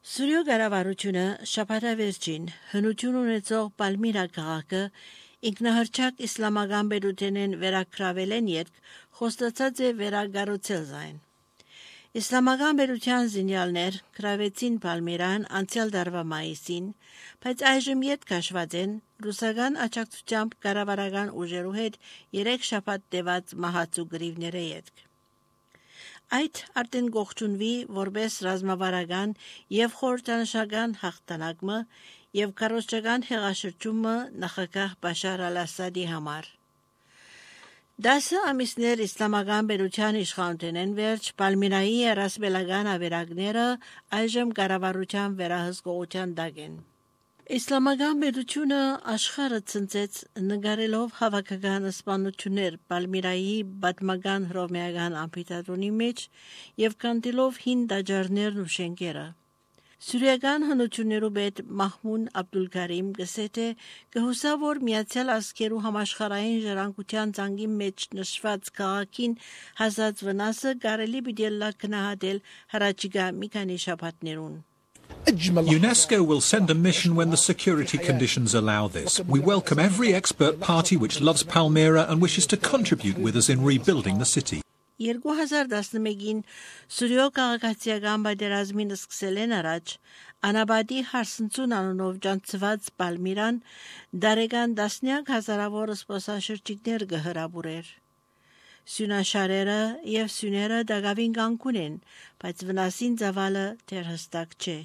Սուրիո գարավարությունը շաբաթավերջին հնություն ունեցող Պալմիրա քաղաքը ինքնահռչակ իսլամական բերութենեն վերակրավել են երբ խոստացած է վերագառուցել զայն։ Իսլամական բերության զինյալներ կրավեցին Պալմիրան անցյալ դարվա մայիսին, բայց այժմ ետ քաշված են ռուսական աջակցությամբ կառավարական ուժերու հետ 3 շաբաթ տևած մահացու գրիվները ետք։ Այդ արդեն գողջունվի որպես ռազմավարական եւ խորհրդանշական հաղթանակը եւ քարոզչական հեղաշրջումը նախագահ Բաշար al-Ասադի համար։ 10 ամիսներ իսլամական բերության իշխանութենեն վերջ Պալմիրայի ռազմելական ավերակները այժմ կառավարության վերահսկողության տակ են։ Իսլամական բերությունը աշխարհը ցնցեց նկարելով հավաքական սպանություններ Պալմիրայի պատմական հռոմեական ամֆիթատրոնի մեջ եւ կանտելով հին տաճարներն ու շենքերը։ Սուրիական հնություններու պետ Մահմուդ Աբդուլքարիմ գսե թե կհուսա որ Միացյալ Ազգերու համաշխարհային ժառանգության ցանկի մեջ նշված քաղաքին հասած վնասը կարելի պիտի լակնահատել հրաչիկա մի քանի շաբաթներուն։ UNESCO will send a mission when the security conditions allow this. We welcome every expert party which loves Palmyra and wishes to contribute with us in rebuilding the city. 2011-ին Սուրիո քաղաքացիական պատերազմին սկսել են առաջ Անաբադի հարսնցուն անունով ջանցված Պալմիրան դարեգան տասնյակ հազարավոր սպասաշրջիկներ կհրաբուրեր։ Սյունաշարերը եւ սյուները դակավին կանգուն են, բայց վնասին ծավալը դեռ հստակ չէ։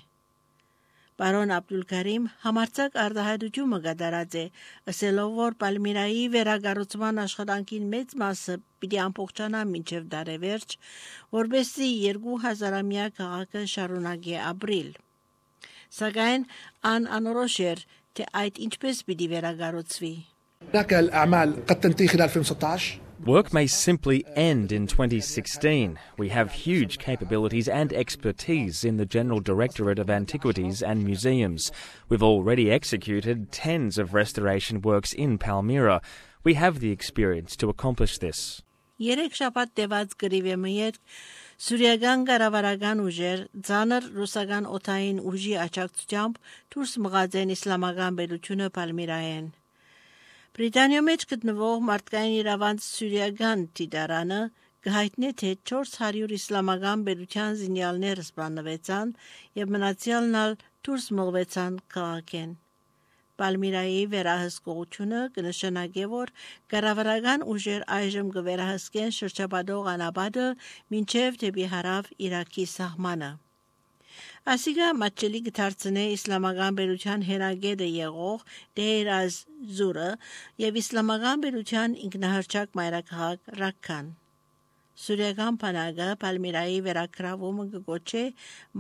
Պարոն Աբդուլքարիմ համարձակ արտահայտությունը կատարած է, ասելով որ Պալմիրայի վերագառուցման աշխատանքին մեծ մասը պիտի ամբողջանա մինչև դարեվերջ, որբեսզի 2000-ամյա քաղաքը շարունակի ապրիլ։ Սակայն անորոշ էր, թե այդ ինչպես պիտի վերագառուցվի։ Work may simply end in 2016. We have huge capabilities and expertise in the General Directorate of Antiquities and Museums. We've already executed tens of restoration works in Palmyra. We have the experience to accomplish this. Երեք շաբաթ տևած գրիվեմը յետ Սուրիական կառավարական ուժեր ցաներ ռուսական օթային ուժի աջակցությամբ դուրս մղած են իսլամական բերությունը Պալմիրայեն։ Բրիտանիա մեջ գտնվող մարդկային իրավանց Սուրիական դիտարանը կհայտնի թե 400 իսլամական բերության զինյալներ սպանվեցան եւ մնացյալն դուրս մղվեցան քաղաքեն։ Պալմիրայի վերահսկողությունը կնշանակի որ կառավարական ուժեր այժմ կվերահսկեն շրջապատող անապատը մինչև դեպի հարավ Իրաքի սահմանը։ Ասիգա մատչելի կդարձնե իսլամական բերության հերագետը եղող Դեյր az-Զուրը եւ իսլամական բերության ինքնահռչակ մայրաքաղաք Ռաքքան։ Սուրիական բանակը Պալմիրայի վերակրավումը կգոչե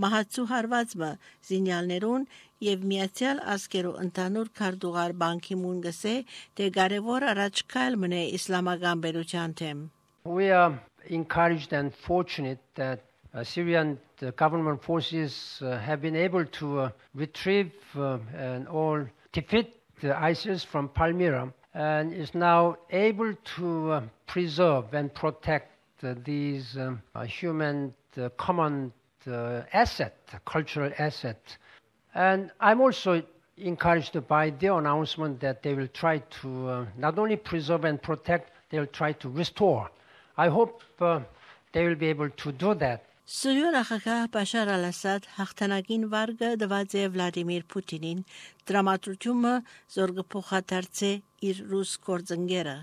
մահացու հարվածը զինյալներուն եւ Միացյալ Ազգերու ընդհանուր քարտուղար Պան Գի Մուն գսե թե կարևոր առաջքայլ մնե իսլամական բերության թեմ։ We are encouraged and fortunate that Syrian government forces have been able to retrieve and all defeat ISIS from Palmyra and is now able to preserve and protect these human common asset, cultural asset. And I'm also encouraged by their announcement that they will try to not only preserve and protect, they will try to restore. I hope they will be able to do that. Սուրիո նախագահ Բաշար al-Ասադ հաղթանակին վարգը դված է Վլադիմիր Պուտինին դրամատրությունը զորգփոխադարձե իր ռուս գործընկերը։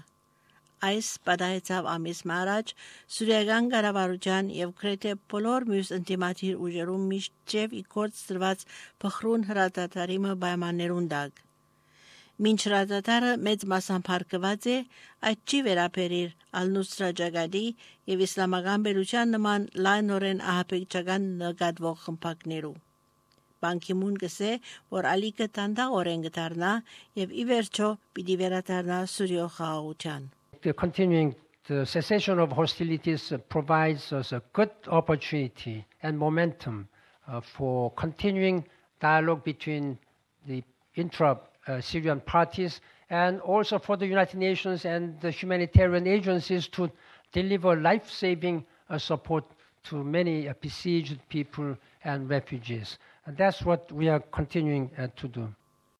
Այս պատահեցավ ամիս առաջ Սուրիական կառավարության եւ գրեթե բոլոր մյուս ինտիմատիր ուժերում միջև իգործ դրված փխրուն հրադադարիմը պայմաններուն տակ։ Մինչ հրադադարը մեծ մասամբ հարկված է, այդ չի վերաբերիր Ալ-Նուսրա ջագադի եւ իսլամական բերության նման լայնորեն ահաբեկչական նկատվող խմբակներու։ Պան Գի Մուն գսե, որ ալիքը տանդաղորեն կդառնա եւ ի վերջո պիտի վերադառնա Սուրիո խաղաղության։ The cessation of hostilities provides us a good opportunity and momentum for continuing dialogue between the Syrian parties and also for the United Nations and the humanitarian agencies to deliver life-saving support to many besieged people and refugees. And that's what we are continuing to do.